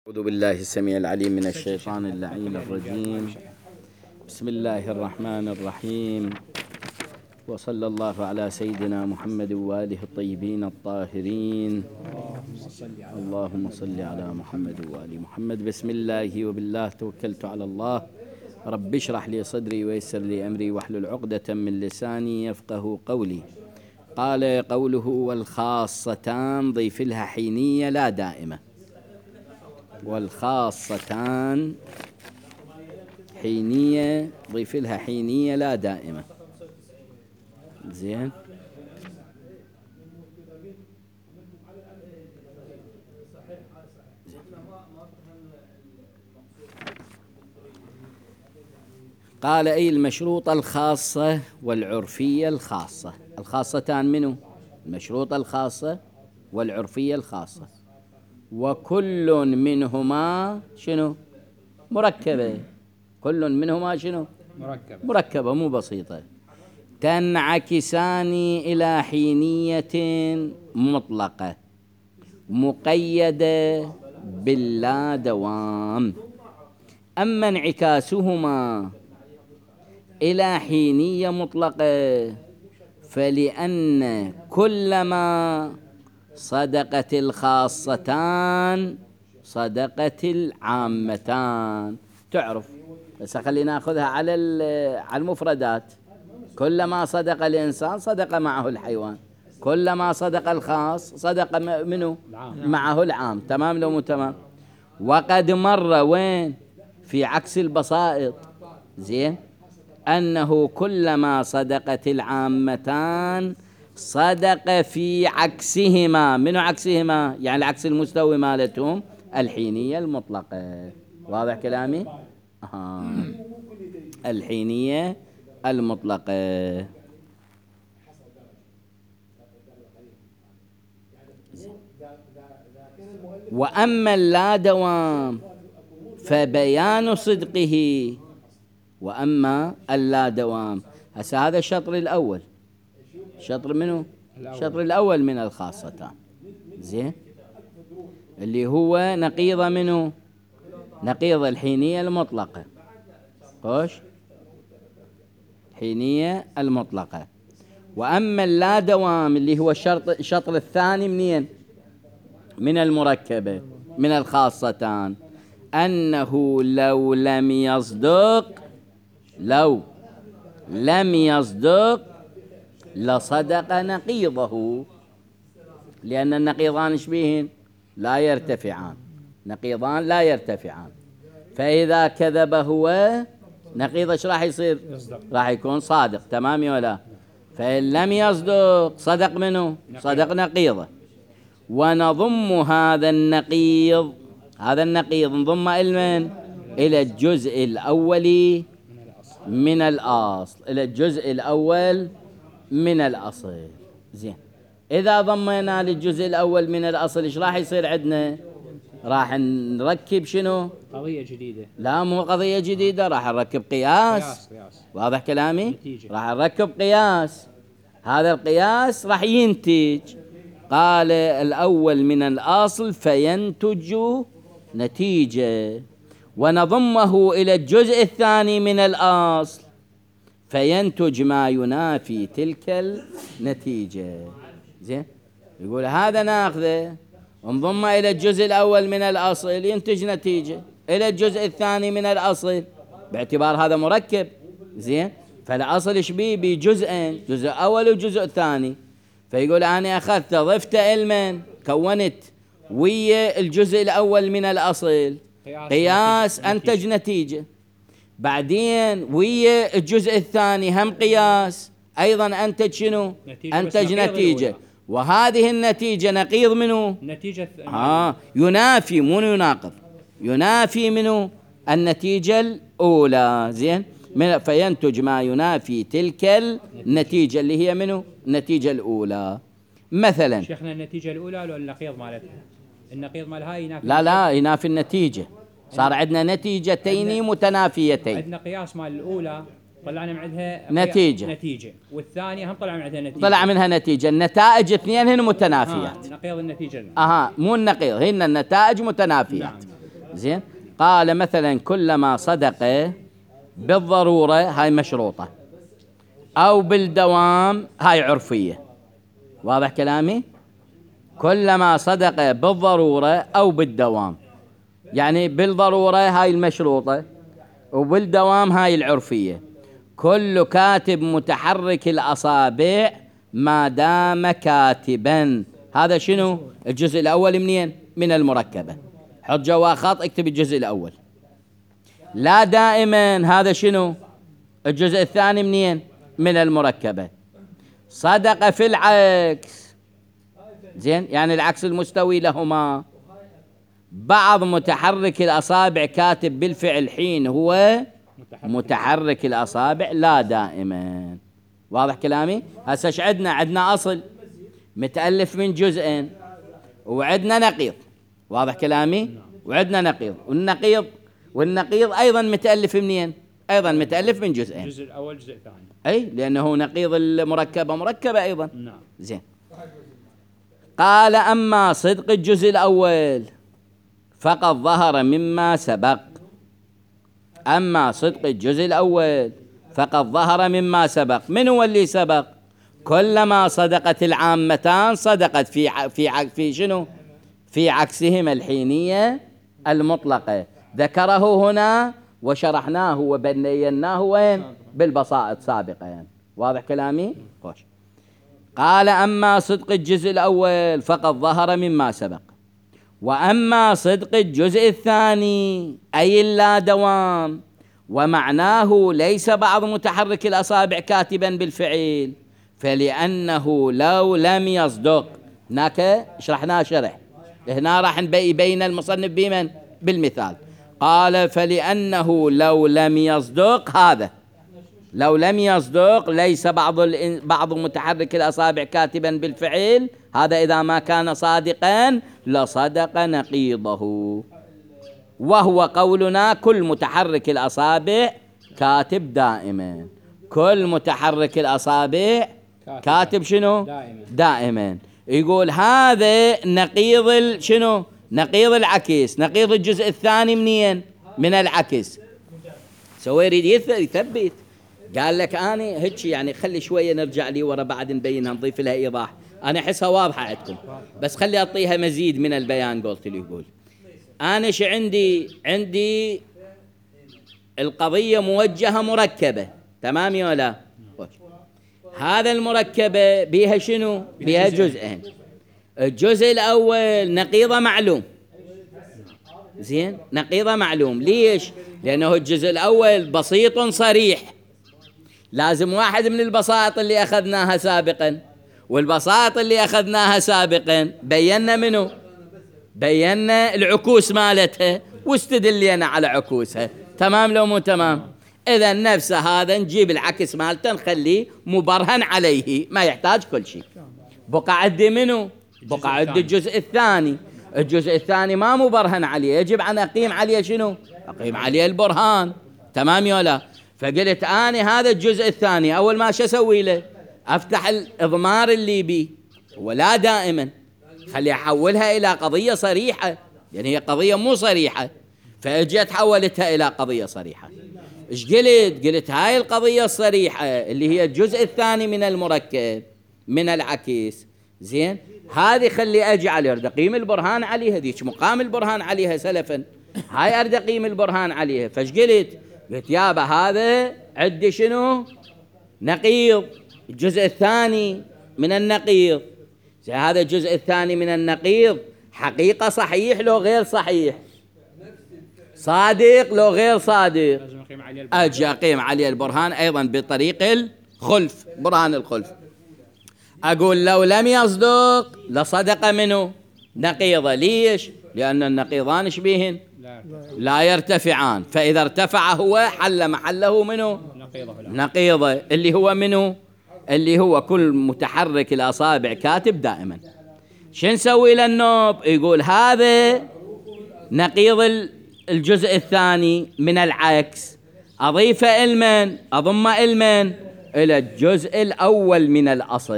أعوذ بالله السميع العليم من الشيطان اللعين الرجيم. بسم الله الرحمن الرحيم، وصلى الله على سيدنا محمد وآله الطيبين الطاهرين. اللهم صل على محمد وآل محمد. بسم الله وبالله توكلت على الله. رب اشرح لي صدري ويسر لي أمري واحلل عقدة من لساني يفقه قولي. قال قوله والخاصتان ضيف لها حينية لا دائمة. والخاصتان حينية ضيف لها حينية لا دائمة. زين. قال أي المشروطة الخاصة والعرفية الخاصة. الخاصتان منه؟ المشروطة الخاصة والعرفية الخاصة، وكل منهما شنو؟ مركبة. كل منهما شنو؟ مركبة مو بسيطة. تنعكسان إلى حينية مطلقة مقيدة باللا دوام. أما انعكاسهما إلى حينية مطلقة فلأن كلما صدقت الخاصتان صدقت العامتان. تعرف، بس خلينا ناخذها على المفردات. كلما صدق الإنسان صدق معه الحيوان، كلما صدق الخاص صدق منه معه العام. تمام لو مو تمام؟ وقد مر وين في عكس البسائط. زين. أنه كلما صدقت العامتان صدق في عكسهما. منو عكسهما؟ يعني العكس المستوي مالتهم الحينية المطلقة. واضح كلامي؟ الحينية المطلقة. وأما اللا دوام فبيان صدقه. وأما اللا دوام، هسه هذا الشطر الأول. شطر منه؟ الشطر الأول من الخاصتان. زين. اللي هو نقيض منه؟ نقيض الحينية المطلقة. خوش، الحينية المطلقة. وأما اللا دوام اللي هو الشطر الثاني منين؟ من المركبة من الخاصتان. أنه لو لم يصدق لصدق نقيضه. لأن النقيضان شبيهن؟ لا يرتفعان. نقيضان لا يرتفعان. فإذا كذب هو نقيض ايش راح يصير؟ راح يكون صادق. تمام ولا؟ فإن لم يصدق صدق منه؟ صدق نقيضه. ونضم هذا النقيض نضم إلى الجزء الأول من الأصل. إلى الجزء الأول من الأصل. زين. إذا ضمينا للجزء الأول من الأصل إيش راح يصير عندنا؟ راح نركب شنو؟ قضية جديدة. لا مو قضية جديدة، راح نركب قياس. واضح كلامي؟ نتيجة. راح نركب قياس. هذا القياس راح ينتج. قال الأول من الأصل فينتج نتيجة. ونضمه إلى الجزء الثاني من الأصل فينتج ما ينافي تلك النتيجة. زين. يقول هذا ناخذه ونضمه إلى الجزء الأول من الأصل ينتج نتيجة إلى الجزء الثاني من الأصل، باعتبار هذا مركب. زين. فالأصل إيش بيه؟ بجزئين، جزء أول وجزء ثاني. فيقول أنا أخذت ضفت علما كونت ويا الجزء الأول من الأصل قياس أنتج نتيجة. بعدين ويا الجزء الثاني هم قياس أيضا أنتج شنو؟ أنتج نتيجة. وهذه النتيجة نقيض منه؟ نتيجة ينافي مو يناقض. ينافي منه النتيجة الأولى. زين. فينتج ما ينافي تلك النتيجة اللي هي منه؟ النتيجة الأولى. مثلا شيخنا النتيجة الأولى ولا النقيض مالتها؟ النقيض مالها ينافي. لا ينافي النتيجة. صار عندنا نتيجتين متنافيتين. عندنا قياس مال الأولى طلعنا من عندها نتيجة، والثانية هم طلع من عندها نتيجة. طلع منها نتيجة. النتائج اثنين هن متنافيات. نقيض النتيجة. مو النقيض، هن النتائج متنافيات. زين. قال مثلا كلما صدق بالضرورة، هاي مشروطة، أو بالدوام، هاي عرفية. واضح كلامي؟ كلما صدق بالضرورة أو بالدوام، يعني بالضرورة هاي المشروطة، وبالدوام هاي العرفية. كل كاتب متحرك الأصابع ما دام كاتبا. هذا شنو؟ الجزء الأول منين؟ من المركبة. حط جوا خط، اكتب الجزء الأول. لا دائما، هذا شنو؟ الجزء الثاني منين؟ من المركبة. صدق في العكس، زين، يعني العكس المستوي لهما. بعض متحرك الأصابع كاتب بالفعل حين هو متحرك الأصابع لا دائما. واضح كلامي؟ هسه ايش عندنا؟ عندنا أصل متألف من جزئين، وعندنا نقيض. واضح كلامي؟ وعندنا نقيض، والنقيض أيضا متألف منين؟ أيضا متألف من جزئين. الجزء الأول الجزء الثاني. أي، لأنه نقيض المركبة مركبة أيضا. نعم. زين. قال أما صدق الجزء الأول فقد ظهر مما سبق. أما صدق الجزء الأول فقد ظهر مما سبق. من هو اللي سبق؟ كلما صدقت العامتان صدقت في شنو؟ في عكسهما الحينية المطلقة. ذكره هنا وشرحناه وبيناه وين؟ بالبسائط سابقا. واضح كلامي؟ خوش. قال أما صدق الجزء الأول فقد ظهر مما سبق، وأما صدق الجزء الثاني أي اللا دوام، ومعناه ليس بعض متحرك الأصابع كاتبا بالفعل، فلأنه لو لم يصدق، هناك شرحناه شرح، هنا راح يبين المصنف بمن؟ بالمثال. قال فلأنه لو لم يصدق، هذا لو لم يصدق ليس بعض متحرك الأصابع كاتبا بالفعل، هذا إذا ما كان صادقا لصدق نقيضه، وهو قولنا كل متحرك الأصابع كاتب دائما. كل متحرك الأصابع كاتب شنو؟ دائما. يقول هذا نقيض شنو؟ نقيض العكس، نقيض الجزء الثاني منين؟ من العكس. سوى يريد يثبت، قال لك أنا هيك يعني خلي شوية نرجع لي ورا بعد نبينها نضيف لها إيضاح. أنا أحسها واضحة عندكم، بس خلي أعطيها مزيد من البيان. قلت له يقول أنا شو عندي القضية موجهة مركبة، تمام يا لا؟ هذا المركبة بيها شنو؟ بيها جزئين. الجزء الأول نقيضة معلوم، زين، نقيضة معلوم. ليش؟ لأنه الجزء الأول بسيط صريح، لازم واحد من البساط اللي أخذناها سابقا، والبساط اللي أخذناها سابقا بينا منه؟ بينا العكوس مالتها واستدلينا على عكوسها، تمام لو مو تمام؟ إذا نفس هذا نجيب العكس مالته نخليه مبرهن عليه، ما يحتاج كل شيء. بقى عندي منه؟ بقى عندي الجزء الثاني. الجزء الثاني ما مبرهن عليه، يجب أن أقيم عليه شنو؟ أقيم عليه البرهان، تمام يا لا؟ فقلت أنا هذا الجزء الثاني أول ما شو أسوي له؟ أفتح الإضمار اللي بيه، ولا دائما خلي أحولها إلى قضية صريحة، يعني هي قضية مو صريحة، فأجيت حولتها إلى قضية صريحة. إيش قلت؟ قلت هاي القضية الصريحة اللي هي الجزء الثاني من المركب من العكس، زين، هذه خلي أجعل أريد أقيم البرهان عليها، ذيك مقام البرهان عليها سلفا، هاي أريد أقيم البرهان عليها. فايش قلت؟ قلت يابا هذا عندي شنو؟ نقيض، الجزء الثاني من النقيض. زين، هذا الجزء الثاني من النقيض حقيقة صحيح لو غير صحيح؟ صادق لو غير صادق؟ أجي أقيم عليه البرهان أيضا بطريق الخلف، برهان الخلف. أقول لو لم يصدق لصدق منه نقيضة. ليش؟ لأن النقيضان شبيهن؟ لا يرتفعان، فإذا ارتفع هو حل محله منه نقيضة، اللي هو منه؟ اللي هو كل متحرك الأصابع كاتب دائما. شو نسوي للنوب؟ يقول هذا نقيض الجزء الثاني من العكس، أضيف المن، أضم المن إلى الجزء الأول من الأصل.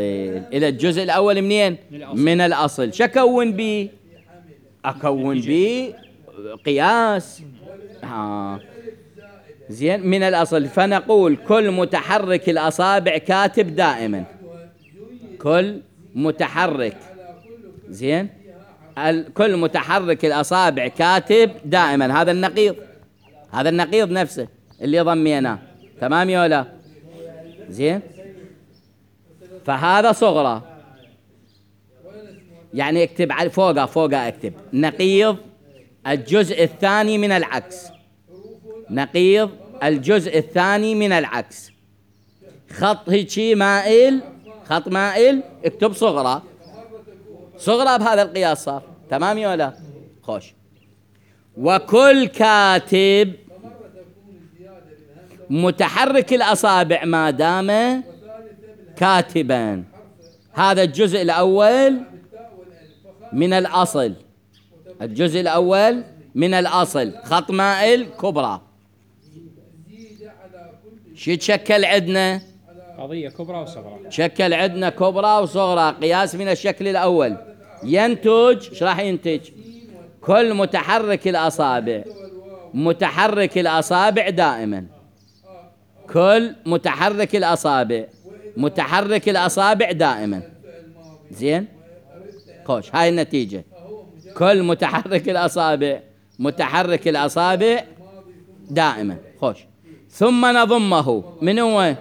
إلى الجزء الأول منين؟ من الأصل. شكون بي؟ أكون بي قياس. زين من الأصل، فنقول كل متحرك الأصابع كاتب دائما، كل متحرك، زين، كل متحرك الأصابع كاتب دائما. هذا النقيض، هذا النقيض نفسه اللي ضميناه، تمام يا ولا؟ زين، فهذا صغرى، يعني اكتب على فوقها اكتب نقيض الجزء الثاني من العكس، نقيض الجزء الثاني من العكس، خط هيجي مائل، خط مائل، اكتب صغرى، صغرى بهذا القياس صار، تمام يا ولا؟ خوش. وكل كاتب متحرك الأصابع ما دام كاتبا. هذا الجزء الأول من الأصل، الجزء الأول من الأصل، خط مائل كبرى. شو يتشكل عندنا؟ قضية كبرى وصغرى. شكل عندنا كبرى وصغرى، قياس من الشكل الأول. ينتج، ايش راح ينتج؟ كل متحرك الأصابع، متحرك الأصابع دائما، كل متحرك الأصابع، متحرك الأصابع دائما. زين، خوش، هاي النتيجة، كل متحرك الأصابع، متحرك الأصابع دائما. خوش. ثم نضمه، من هو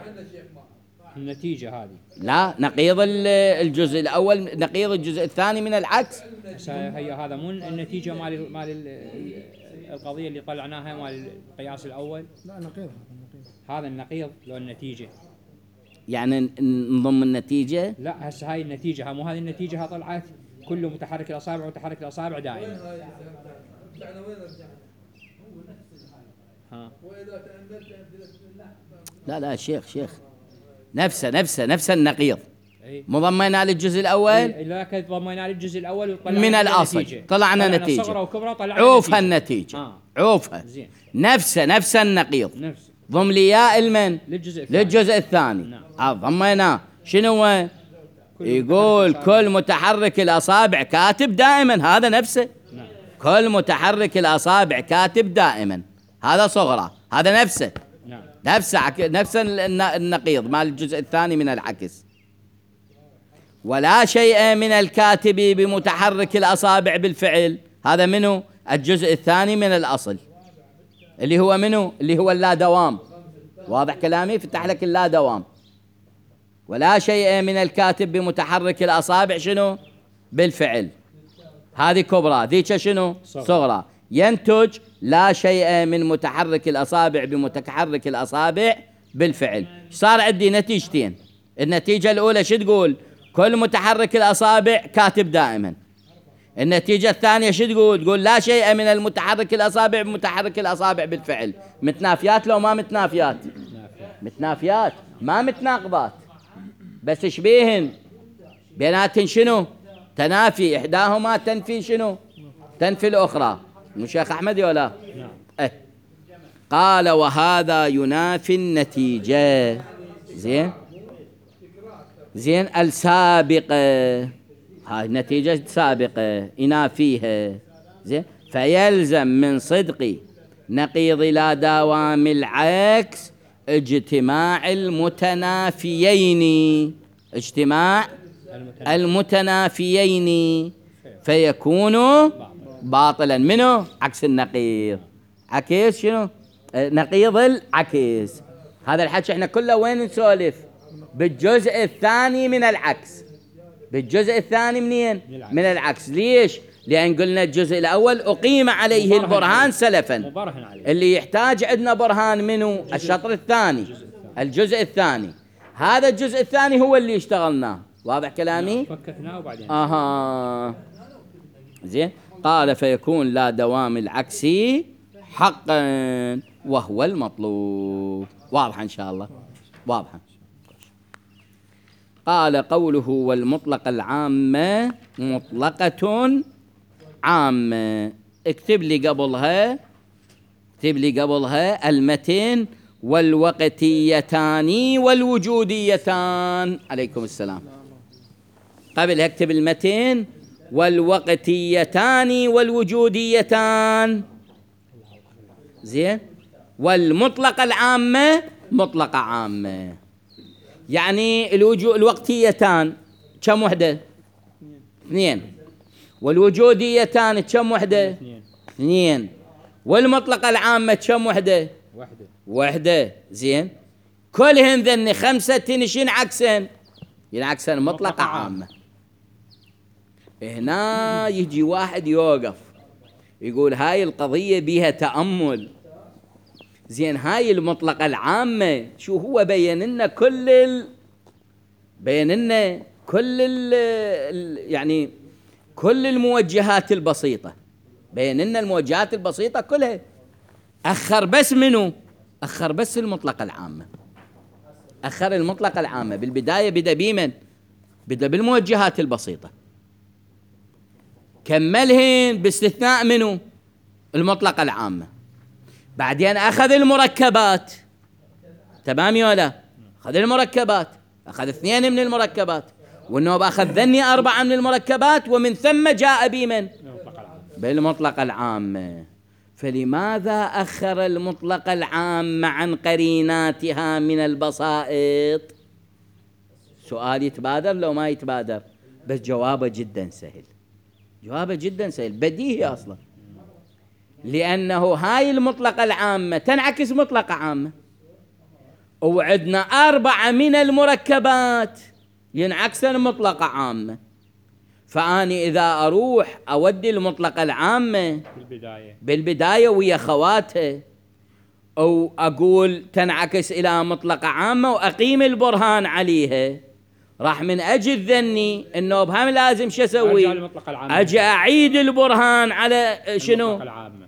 النتيجة هذه؟ لا، نقيض الجزء الأول، نقيض الجزء الثاني من العكس. هي هذا مو النتيجة مال القضية اللي طلعناها مال القياس الأول؟ لا، نقيض. هذا النقيض لو النتيجة، يعني نضم النتيجة. لا هسه هاي النتيجة، مو هذه النتيجة طلعت كل متحرك الأصابع متحرك الأصابع دائما. لا شيخ، نفس النقيض، مضمنا للجزء الأول. لا كنت ضمينا للجزء الأول من الأصل، طلعنا نتيجة صغرى وكبرى، طلعنا عوفها النتيجة. عوفها نفس النقيض، ضم لي يا المن للجزء الثاني. نعم. ضميناه شنو هو؟ يقول كل متحرك الأصابع كاتب دائما، هذا نفسه. نعم. كل متحرك الأصابع كاتب دائما، هذا صغرى، هذا نفسه. نعم. نفس النقيض مال الجزء الثاني من العكس. ولا شيء من الكاتب بمتحرك الأصابع بالفعل، هذا منه الجزء الثاني من الأصل، اللي هو منه، اللي هو اللا دوام. واضح كلامي؟ فتح لك اللا دوام. ولا شيء من الكاتب بمتحرك الأصابع شنو؟ بالفعل. هذه كبرى، ذيك شنو؟ صغرى. ينتج لا شيء من متحرك الأصابع بمتحرك الأصابع بالفعل. صار عندي نتيجتين. النتيجة الأولى شو تقول؟ كل متحرك الأصابع كاتب دائما. النتيجة الثانية شو تقول؟ تقول لا شيء من المتحرك الأصابع بمتحرك الأصابع بالفعل. متنافيات لو ما متنافيات؟ متنافيات، ما متناقضات، بس شبيهن بيناتن شنو؟ تنافي، إحداهما تنفي شنو؟ تنفي الأخرى. مو شيخ أحمد ولا؟ نعم. قال وهذا ينافي النتيجة. زين السابقة، هاي النتيجة سابقة ينافيها. زين، فيلزم من صدق نقيض لا دوام العكس اجتماع المتنافيين، اجتماع المتنافيين، فيكون باطلا. منه؟ عكس النقيض. عكس شنو؟ نقيض العكس. هذا الحكي احنا كله وين نسولف؟ بالجزء الثاني من العكس. بالجزء الثاني منين؟ من العكس. ليش؟ لأن قلنا الجزء الأول أقيم عليه البرهان سلفا، اللي يحتاج عندنا برهان منه الشطر الثاني، الجزء الثاني. هذا الجزء الثاني هو اللي اشتغلناه. واضح كلامي؟ فككناه وبعدين زين. قال فيكون لا دوام العكس حقا وهو المطلوب. واضح إن شاء الله؟ واضحة. قال قوله والمطلق العامة مطلقة عامة. اكتب لي قبلها المتن والوقتيتان والوجوديتان. عليكم السلام. قبل اكتب المتن والوقتيتان والوجوديتان، زين، والمطلقة العامة مطلقة عامة. يعني الوقتيتان كم وحدة؟ 2. والوجوديتان كم وحدة؟ 2. والمطلقة العامة كم وحدة؟ 1. زين، كلهن ذن 5 ينعكسن مطلقة عامة. هنا يجي واحد يوقف يقول هاي القضية بيها تأمل. زين، هاي المطلقة العامة شو هو بين لنا يعني كل الموجهات البسيطة، بين لنا الموجهات البسيطة كلها. أخر بس منو؟ أخر بس المطلقة العامة، أخر المطلقة العامة. بالبداية بدأ بمن؟ بدأ بالموجهات البسيطة، كملهن باستثناء منو؟ المطلقة العامة. بعدين أخذ المركبات، تمام ولا؟ أخذ المركبات، أخذ 2 من المركبات، والنوب أخذ ذني 4 من المركبات، ومن ثم جاء بمن؟ بالمطلقة العامة. فلماذا أخر المطلقة العامة عن قريناتها من البسائط؟ سؤال يتبادر لو ما يتبادر؟ بس جوابه جدا سهل، جوابه جدا سهل، بديهي أصلا. لأنه هاي المطلقة العامة تنعكس مطلقة عامة، وعندنا 4 من المركبات ينعكسن مطلقة عامة. فأني إذا أروح أودي المطلقة العامة بالبداية ويا خواتها، أو أقول تنعكس إلى مطلقة عامة وأقيم البرهان عليها، راح من أجل ذني إنه بهم لازم شو أسوي؟ أجي أعيد البرهان على شنو؟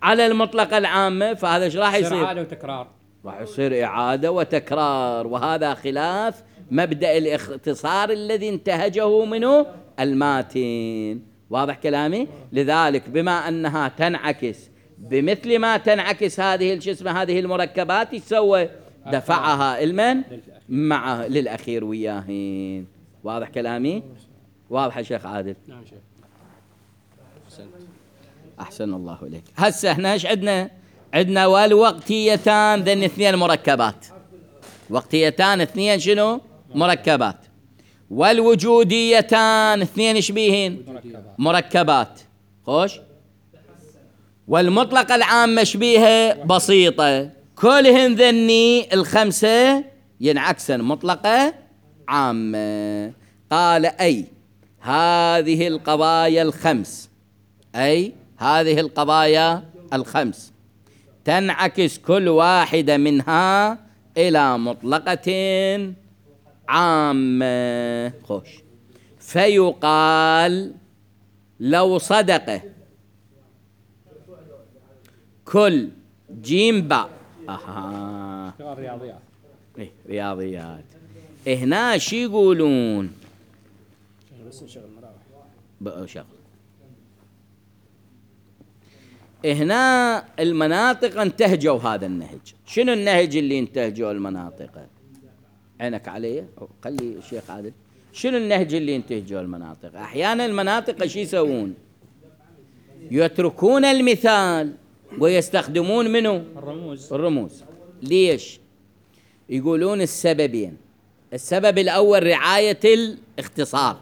على المطلقة العامة. فهذا إيش راح يصير؟ إعادة وتكرار، راح يصير إعادة وتكرار، وهذا خلاف مبدأ الاختصار الذي انتهجه منه الماتن. واضح كلامي؟ لذلك بما أنها تنعكس بمثل ما تنعكس هذه هذه المركبات، يسوى دفعها المن معه للأخير وياهين. واضح كلامي؟ واضح يا شيخ عادل؟ نعم شيخ. أحسن الله إليك. هسه احنا ايش عندنا؟ عندنا والوقتيتان ذن 2 مركبات، وقتيتان 2 شنو؟ مركبات. والوجوديتان 2 شبيهن؟ مركبات. خوش. والمطلقة العامة شبيهة؟ بسيطة. كلهن ذني 5 ينعكسن مطلقة عامة. قال أي هذه القضايا ال5، أي هذه القضايا ال5 تنعكس كل واحدة منها إلى مطلقة عامة. خوش. فيقال لو صدق كل جيم باء. رياضيات. رياضيات. هنا شي يقولون؟ شغل. هنا المناطق انتهجوا هذا النهج. شنو النهج اللي انتهجوا المناطق؟ عينك علي، خلي الشيخ عادل. شنو النهج اللي انتهجوا المناطق؟ احيانا المناطق شي يسوون؟ يتركون المثال ويستخدمون منه الرموز. ليش؟ يقولون السببين. السبب الأول رعاية الاختصار،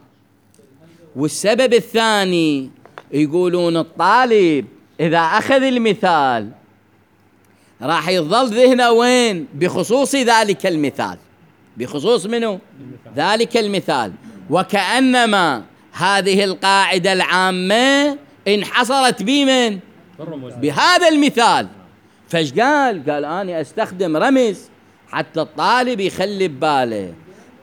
والسبب الثاني يقولون الطالب إذا أخذ المثال راح يظل ذهنه وين؟ بخصوص ذلك المثال، بخصوص منه؟ ذلك المثال، وكأنما هذه القاعدة العامة انحصرت بمن؟ بهذا المثال. فايش قال؟ قال أنا أستخدم رمز حتى الطالب يخلي بباله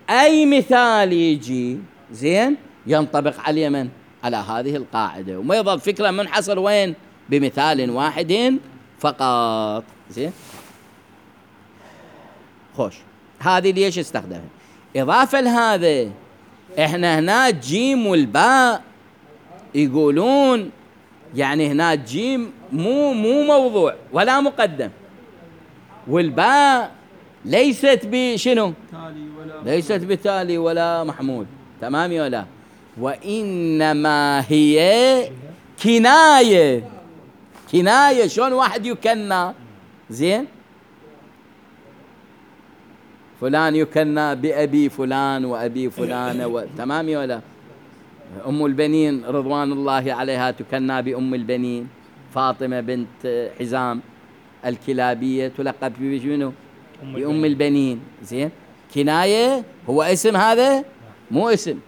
أي مثال يجي زين ينطبق عليه من؟ على هذه القاعدة، وما يظل فكرة منحصر وين؟ بمثال واحد فقط. زين. خوش. هذه ليش استخدمها؟ إضافة لهذا إحنا هنا جيم والباء يقولون يعني هنا جيم مو موضوع ولا مقدم، والباء ليست بشنو؟ ليست بتالي ولا محمول. تمام ولا؟ وإنما هي كناية. كناية شلون واحد يكنى؟ زين، فلان يكنى بأبي فلان وأبي فلانة تمام ولا؟ أم البنين رضوان الله عليها تكنى بأم البنين، فاطمة بنت حزام الكلابية تلقب بشنو؟ بأم البنين. زين، كناية هو اسم هذا؟ مو اسم،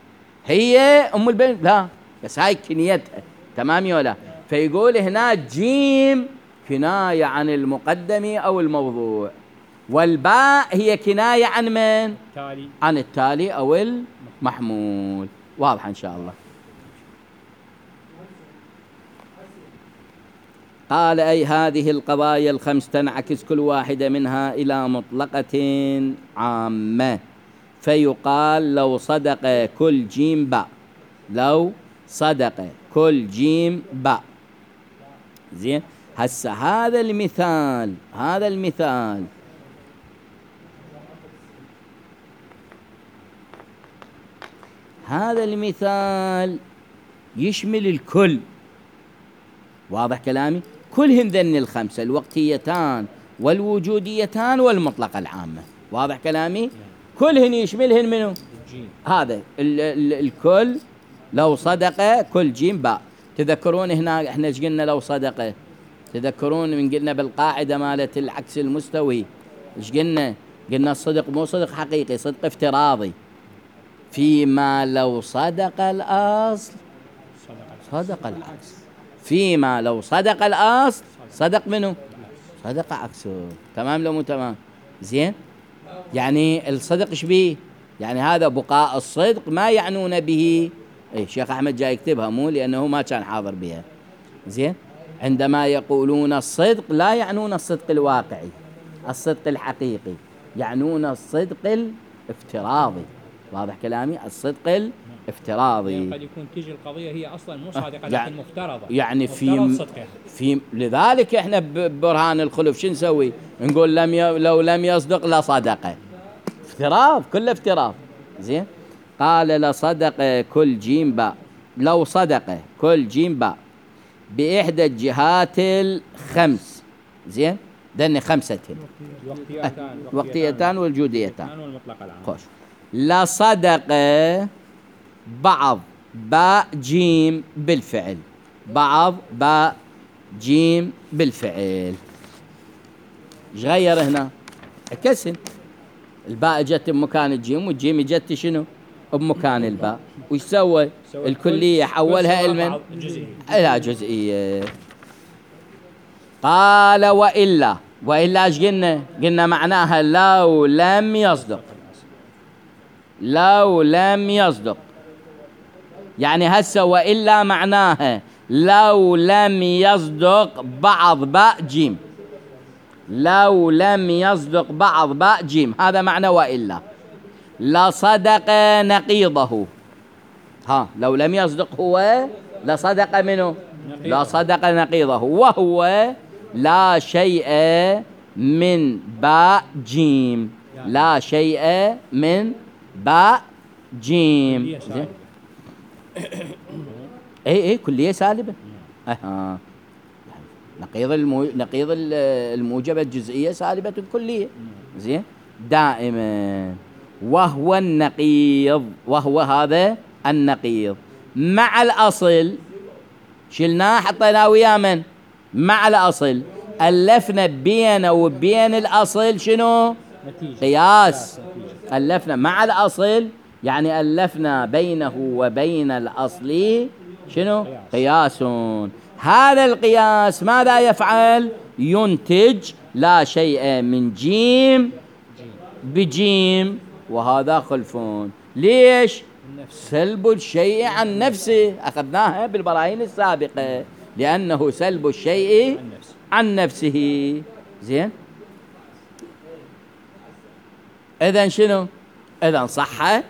هي أم البنين لا، بس هاي كنيتها، تمام ولا؟ فيقول هنا جيم كناية عن المقدم أو الموضوع، والباء هي كناية عن من؟ عن التالي أو المحمول. واضح إن شاء الله. قال أي هذه القضايا الخمس تنعكس كل واحدة منها إلى مطلقة عامة، فيقال لو صدق كل جيم باء، لو صدق كل جيم باء. زين، هسه هذا المثال هذا المثال يشمل الكل. واضح كلامي؟ كلهن ذن الخمسة، الوقتيتان والوجوديتان والمطلقة العامة. واضح كلامي؟ كلهن يشملهن منه هذا الكل. لو صدق كل جيم باء. تذكرون هنا احنا ايش قلنا؟ لو صدق، تذكرون من قلنا بالقاعدة مالت العكس المستوي ايش قلنا؟ قلنا الصدق مو صدق حقيقي، صدق افتراضي. فيما لو صدق الأصل صدق العكس، فيما لو صدق الأصل صدق منه؟ صدق عكسه. تمام لو مو تمام؟ زين، يعني الصدق ايش بيه؟ يعني هذا بقاء الصدق ما يعنون به. اي الشيخ أحمد جاي يكتبها مو لأنه ما كان حاضر بها. زين، عندما يقولون الصدق لا يعنون الصدق الواقعي، الصدق الحقيقي، يعنون الصدق الافتراضي. واضح كلامي؟ الصدق الافتراضي. يعني قد يكون تيجي القضية هي أصلا مو صادقة لكن مفترضة، يعني في لذلك احنا ببرهان الخلف شو نسوي؟ نقول لو لم يصدق لصدق. افتراض، كله افتراض. زين، قال لصدق كل جيم باء، لو صدق كل جيم باء بإحدى الجهات الخمس. زين، دني خمسة، وقتيتان والوجوديتان والمطلقة العامة. خوش. لصدق بعض باء جيم بالفعل، بعض باء جيم بالفعل. ايش غير هنا؟ عكسن، الباء جت بمكان الجيم والجيم جت شنو؟ بمكان الباء. وش سوى؟ الكلية حولها إلى جزئية. قال وإلا ايش قلنا؟ قلنا معناها لو لم يصدق، لو لم يصدق. يعني هسه وإلا معناها لو لم يصدق بعض باء جيم، لو لم يصدق بعض باء جيم، هذا معنى وإلا. لصدق نقيضه. لو لم يصدق هو لصدق منه؟ لصدق نقيضه، وهو لا شيء من باء جيم، لا شيء من باء جيم. اي كلية سالبة. نقيض الموجبة الجزئية سالبة الكلية. زين، دائما. وهو النقيض، وهو هذا النقيض مع الأصل. شلناه حطيناه ويا من؟ مع الأصل. ألفنا بينه وبين الأصل شنو؟ قياس. ألفنا مع الأصل يعني ألفنا بينه وبين الأصل شنو؟ قياس. هذا القياس ماذا يفعل؟ ينتج لا شيء من جيم بجيم، وهذا خلفون. ليش؟ سلب الشيء عن نفسه، أخذناها بالبراهين السابقة، لأنه سلب الشيء عن نفسه. زين، إذن شنو؟ إذن صح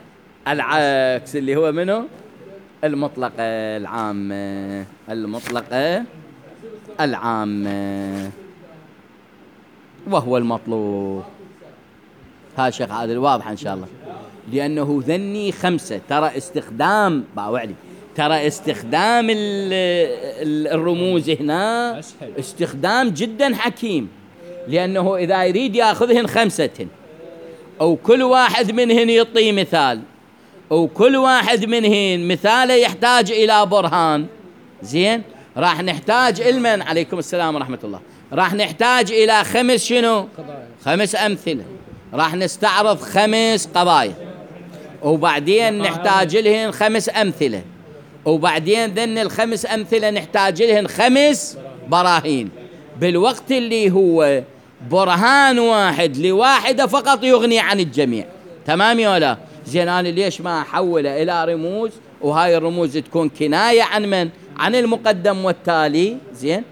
العكس اللي هو منه؟ المطلقة العامة، المطلقة العامة، وهو المطلوب. ها شيخ عادل واضح إن شاء الله. لأنه ذني 5. ترى استخدام باوعلي، ترى استخدام الرموز هنا أسهل. استخدام جدا حكيم، لأنه إذا يريد يأخذهن 5 أو كل واحد منهن يعطي مثال، أو كل واحد منهن مثاله يحتاج إلى برهان، زين راح نحتاج المن عليكم السلام ورحمة الله، راح نحتاج إلى 5 شنو؟ 5 أمثلة، راح نستعرض 5 قضايا، وبعدين نحتاج لهن 5 أمثلة، وبعدين ذن ال5 أمثلة نحتاج لهن 5 براهين، بالوقت اللي هو برهان واحد لواحدة فقط يغني عن الجميع. تمام يا لا؟ زين أنا ليش ما أحوله إلى رموز، وهاي الرموز تكون كناية عن من؟ عن المقدم والتالي، زين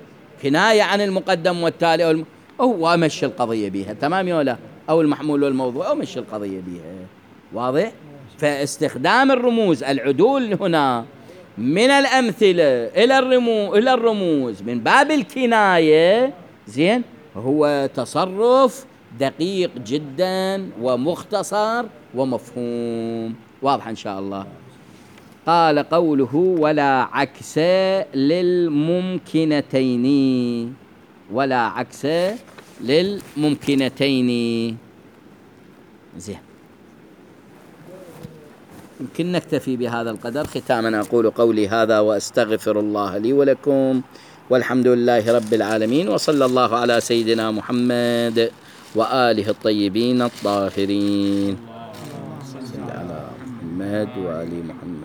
كناية عن المقدم والتالي أو أمشي القضية بيها. تمام يا لا؟ أو المحمول والموضوع أو مشي القضية بيها. واضح؟ فاستخدام الرموز، العدول هنا من الأمثلة إلى الرموز من باب الكناية، زين هو تصرف دقيق جدا ومختصر ومفهوم. واضح إن شاء الله. قال قوله ولا عكس للممكنتين، ولا عكس للممكنتين. زين يمكن نكتفي بهذا القدر. ختاما أقول قولي هذا وأستغفر الله لي ولكم، والحمد لله رب العالمين، وصلى الله على سيدنا محمد وآله الطيبين الطاهرين. صلى على محمد وآل محمد.